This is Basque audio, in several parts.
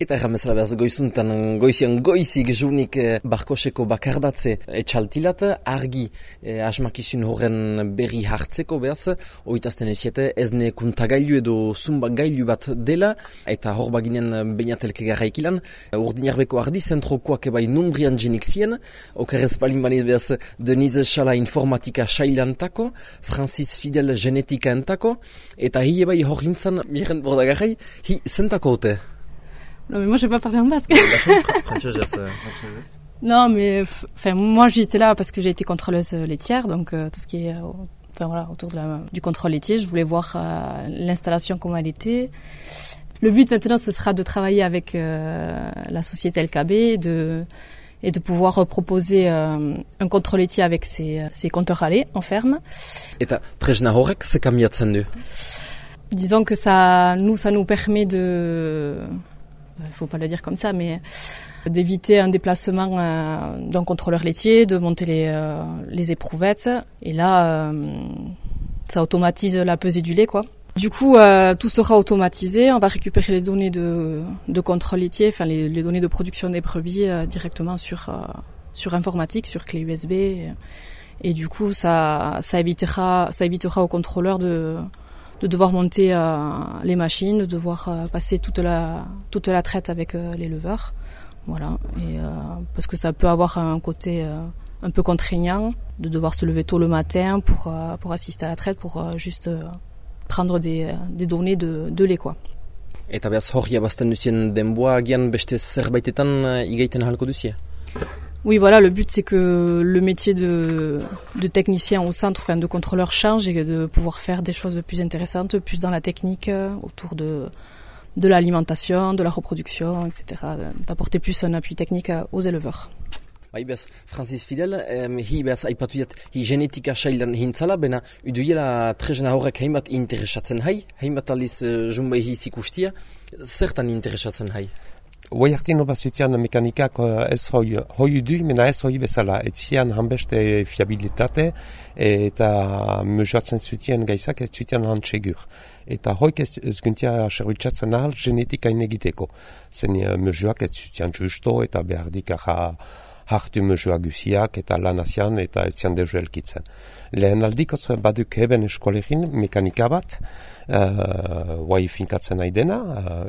Eta erramezala behaz goizian goizik junik barkoseko bakardatze etxaltilat, argi asmakizun horren berri hartzeko behaz, oitazten eziete ezne kuntagailu edo zumbagailu bat dela, eta hor baginen bainatelke garraikilan, urdinarbeko ardi zentrokoak ebai numbrian jenik zien, okerrez palin baniz behaz Denise Sala informatika sailantako, Francis Fidel genetika entako, eta hi ebai hor hintzan, miren bordagarrai, hi zentako hote? Non, mais moi, je ne vais pas parler en basque. Non, mais moi, j'étais là parce que j'ai été contrôleuse laitière, donc tout ce qui est autour du contrôle laitier. Je voulais voir l'installation, comment elle était. Le but maintenant, ce sera de travailler avec la société LKB et de pouvoir proposer un contrôle laitier avec ses compteurs à lait en ferme. Et tresna horrek se kamiatzen du? Disons que ça nous permet de... Il ne faut pas le dire comme ça, mais d'éviter un déplacement d'un contrôleur laitier, de monter les éprouvettes. Et là, ça automatise la pesée du lait, quoi. Du coup, tout sera automatisé. On va récupérer les données de contrôle laitier, enfin les données de production des brebis directement sur informatique, sur clé USB. Et du coup, ça évitera au contrôleur de devoir monter les machines, de devoir passer toute la traite avec les leveurs. Voilà. Et, parce que ça peut avoir un côté un peu contraignant de devoir se lever tôt le matin pour assister à la traite, pour juste prendre des données de lait, quoi. Eta behaz hori abazten duzien denboa agian beste zerbaitetan igaiten ahalko duzie? Oui, voilà, le but c'est que le métier de technicien au centre, enfin de contrôleur change et de pouvoir faire des choses plus intéressantes, plus dans la technique, autour de l'alimentation, de la reproduction, etc. D'apporter plus un appui technique aux éleveurs. Bai, behaz, Francis Fidel, hi behaz aipatu diat, hi genetika sailan hintzala, bena uduiela tresna horrek hainbat interesatzen hai, hainbat aliz jumbai hiz ikustia, zertan interesatzen hai? Hoi hartino bazutian mekanikak ez hoi du, mena ez hoi bezala. Etzian hanbeste fiabilitate eta mesuatzen zutien gaizak ez zutien hantsegur. Eta hoik ez guntia serbitzatzen ahal genetikain egiteko. Zen mesuak ez zutien justo eta behardik hartu mesua guziak eta lanazian eta ez zian dezu elkitzen. Lehen aldikoz baduk heben eskolegin mekanika bat, guai finkatzen nahi dena,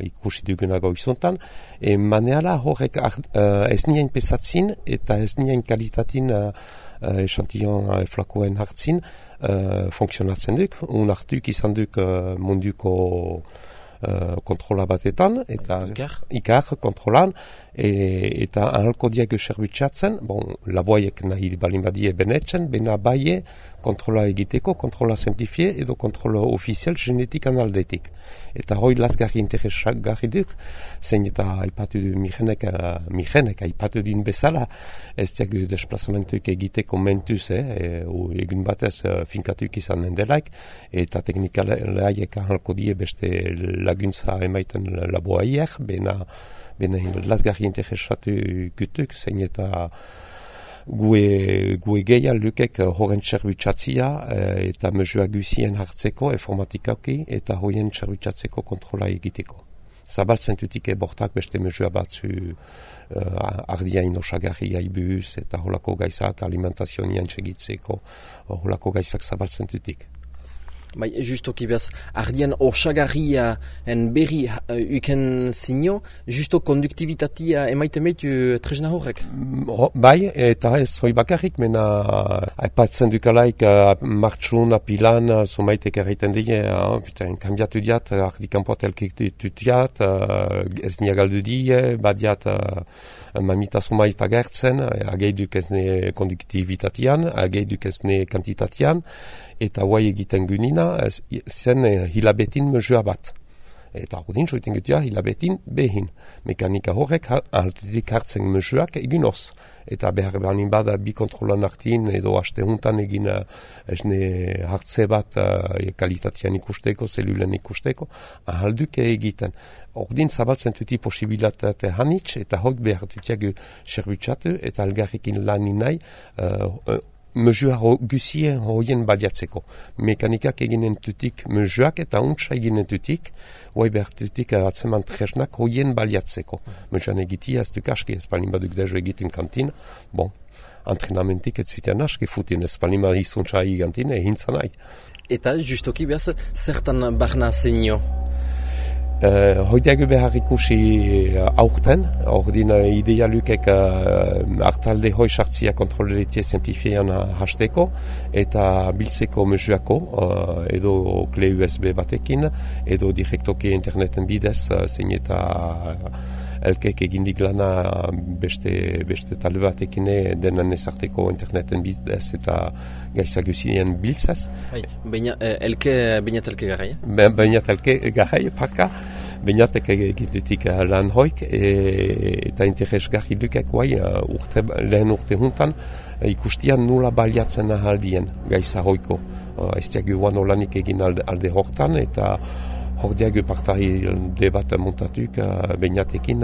ikusi dugunago izontan, maneala horrek ez nien pesatzin eta ez nien kalitatin esantion flakoen hartzin funksionatzen duk, hartuk izan duk munduko kontrola batetan, eta ikar kontrolan, eta ahalko diak serbitzatzen, laboaiek nahi balin badie benetzen, bena baie kontrola egiteko, kontrola simplifie edo kontrola ofizial genetikan aldetik. Eta hoi lasgarri interesgarri duk, zein eta aipatu du mijenek aipatu din bezala, ez diagu desplazamentuik egiteko mentuz, egun batez finkatuk izan delaik, eta teknikalaiek ahalko die beste laguntza emaiten laboaiek, bena lasgarri interesatu gutuk, zein eta gue gehial lukek horren txerbitzatzia eta mesua guzien hartzeko informatikaki eta horien txerbitzatzeko kontrola egiteko. Zabaltzen dutik bortak beste mesua batzu ardiain osagarri aibuz eta holako gaizak alimentazioan txegitzeko holako gaizak zabaltzen dutik. Bai, justoki behaz, ardian osagarria en berri uken zinio, justo konduktibitatea emaiten behitu tresna horrek? Bai, eta ez hoi bakarrik, mena aipatzen dukalaik martxun, apilan, zumaitek erraiten dige, kambiatu diat, ardikanpoat elkitu diat, ez niagaldu die, badiat mamita zumait agertzen, ageiduk ez ne konduktibitatean, ageiduk ez ne kantitatean, eta guai egiten gunina, zen hilabetin mesua bat. Eta ordin, soiten gutia, hilabetin behin. Mekanika horrek altutik hartzen mesuak egin oz. Eta behar banin bada bi kontrolan hartin edo haste huntan egin hartze bat kalitatean ikusteko, zelulen ikusteko, ahalduke egiten. Ordin zabaltzen tuti posibilitate hanitz eta hok behar dutiago serbitzatu eta algarrekin lanin nahi mesua guzien hoien baliatzeko. Mekanikak eginen tutik mesuak eta untsa eginen tutik, hoi behartutik atzeman tresnak hoien baliatzeko. Mesuan egitia ez duk aski, ez palin baduk dejo egiten kantin, bon, antrenamentik ez zuitean aski futin, ez palin bad izuntza egigantin, ehintzan nahi. Eta justoki behaz, zertan barna zenio? Hoideago behar ikusi aurten, ordin idealukek hartalde hoi sartzia kontroletie simplifiean hasteko eta biltzeko mesuako edo kle USB batekin edo direktoki interneten bidez zein eta elkek egindik lana beste talde batekin denan ezarteko interneten bidez eta gaizagusien biltzaz. Bainat elke garrai? Bainat elke garrai, parka. Bainatek egitetik lan hoik eta interesgarri dukek lehen urte juntan ikustian nula baliatzen ahaldien gaiza hoiko. Ez diagu guan olanik egin alde hortan eta hor diagu partaide bat montatuk bainatekin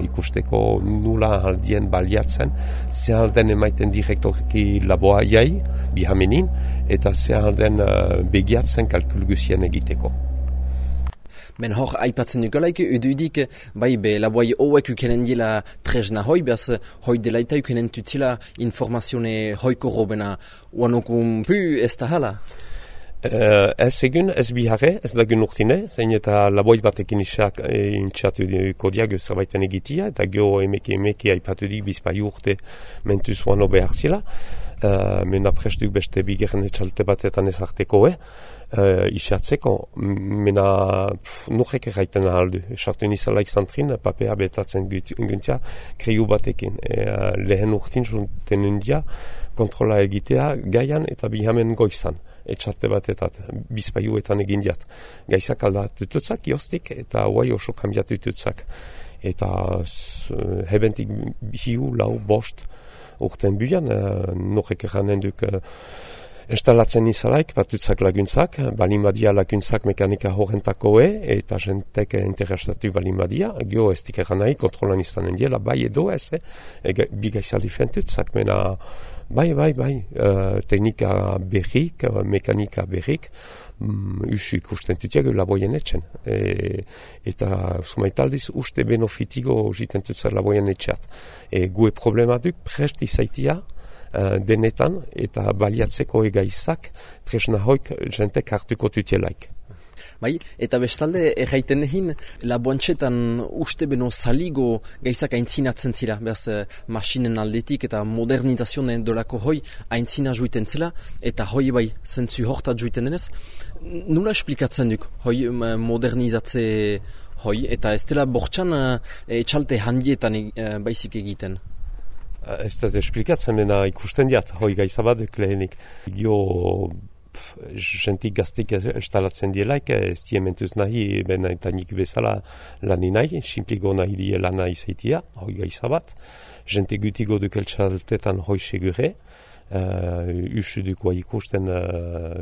ikusteko nula ahaldien baliatzen ze alden emaiten direktorki laboa jai, bihamenin, eta ze alden begiatzen kalkulguzien egiteko. Ben hor, aipatzen dukalaik, ududik, bai, laboai hauek ukenen dila tresna hoi, behaz, hoi delaita ukenen tutzila informazione hoiko robena, uanokun pu ez da hala? Ez egun, ez biharre, ez dagun urtine, zein eta laboit batekin intxatu kodiago zerbaiten egitia, eta geho emeki aipatu dik bizpai urte mentuz uano behar zila. Mena prestuk beste bigerren etxalte batetan ezarteko isatzeko, mena nurrek erraiten ahaldu. Sartu nizalaik zantrin, papea betatzen guntia kreiu batekin. Lehen urtin zunten undia kontrola egitea gaian eta bihamen goizan. Etxalte batetat, bizpaiuetan egin diat. Gaizak aldatututzak, jostik, eta guai oso kambiatututzak. Eta hebentik hiu, lau, bost, urten buian, norek eranen duk instalatzen izalaik, batutzak laguntzak, balimadia laguntzak mekanika horrentako eta jentek interesatu balimadia, geho ez dik eran nahi, kontrolan izanen diela, bai edo ez, bigaizali fentutzak, mena, bai, teknika berrik, mekanika berrik, usu ikusten tutiak laboien etxen. Eta sumaitaldiz uste benofitigo jiten tutzak laboien etxeat. Gue problema duk prest izaitia denetan eta baliatzeko egaizak tresna hoik jentek hartuko tutielaik. Bai, eta bestalde erraiten egin laboantxetan uste beno saligo gaizak aintzinatzen zira, behaz masinen aldetik eta modernizazioen dolako hoi aintzina juiten zela, eta hoi bai zentzu hortat juiten denez. Nula esplikatzen duk hoi modernizatze hoi, eta ez dela bortxan etxalte handietan baizik egiten? Ez da esplikatzen dena ikusten diat, hoi gaizabaduk lehenik. Jentik gaztik instalatzen dielaik, ez diementuz nahi, bena eta nik bezala lani nahi, simpligo nahi die lana izaitia, hoi gaizabat. Jentik gutigo duk eltsaltetan hoi segure, usudukoa ikusten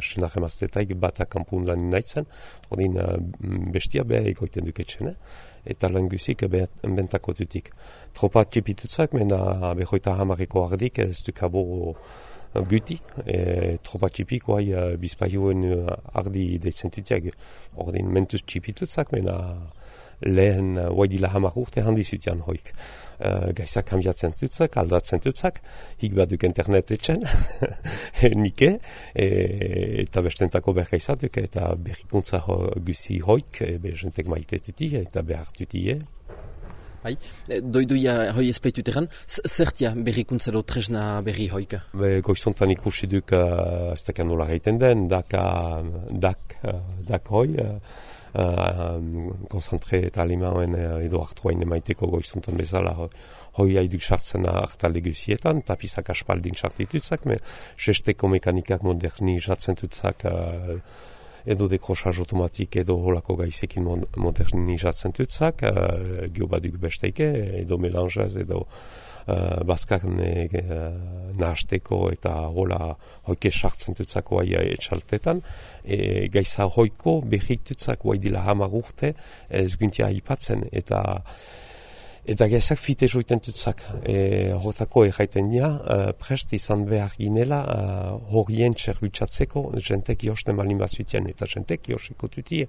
senar emaztetaik bat akampun lani nahitzen, ordin bestia beha egoiten duketxene, eta lan guzik bentako dutik. Tropa txipitutzak, mena behoita hamareko ardik, ez dukabo guti, tropa txipik, bizpaioen ardi deitzen dutiak. Ordin mentuz txipitutzak, mena lehen dila hamar urte handi zutian hoik. Gaizak kambiatzen dutzak, aldatzen dutzak, hik baduk internet etxen, nike, eta bestentako bergaizatuk, eta berrikuntza guzi hoik, jentek maite duti, eta behar duti, Bai, doiduia hoi ezpeitut egan, zertia berrikuntza do tresna berri hoik? Goizontan ikusi duk, ez dakar nola gaiten den, dak hoi, konzentre eta alimauen edo hartuain emaiteko goizontan bezala hoi haiduk sartzen hartalde guzietan, tapizak aspaldin sartitutzak, sesteko mekanikak modernizatzen tutzak edo dekrosaz automatik edo holako gaizekin modernizatzen tutzak, geobaduk besteike, edo melanjaz, edo bazkak nahasteko eta hola hoike sartzen tutzako etxaltetan, gaiza hoiko berrik tutzak dila hamar urte ez guntia aipatzen, eta Eta gezak fite joiten tutzak. Hortako erraiten dira, prest izan behar ginela horien txerbutsatzeko jentek josten malin bazutien, eta jentek josiko tutie.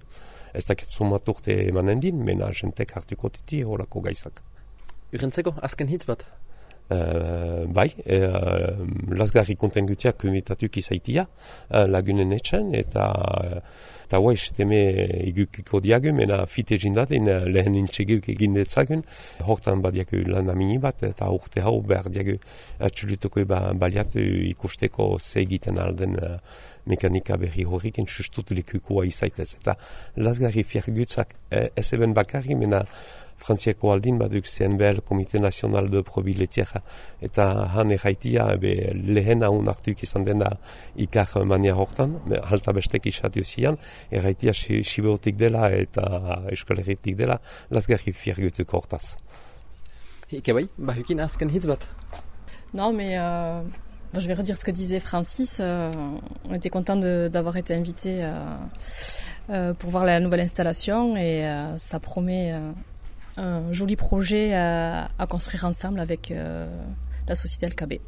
Ez dakit sumaturte emanen din, mena jentek hartuko tutie horako gaizak. Urentzeko, azken hitz bat? Bai, lasgarri konten gutiak kumitatuk izaitia, lagunen etxen, eta guai, seteme igukiko diagu, mena fite jindaten lehen intxeguk egin detzagun, hortan badiaku lan amini bat, eta urte hau behar diagu atxulutuko baliatu ikusteko ze egiten alden mekanika berri horrik entzustut lekukua izaitez. Eta lasgarri fiergutzak ez eben bakarri, mena Frantziako aldin baduk CNBL, Komite Nazional de Probiletiera, eta han erraitia lehen haun hartuik izan dena ikar mania hortan, halta bestek isatio zian, erraitia sibeotik dela eta eskoleretik dela, lasgarri fiergutuk hortaz. Non, mais je vais redire ce que disait Francis. On était content d'avoir été invité pour voir la nouvelle installation et ça promet un joli projet à construire ensemble avec la société LKB.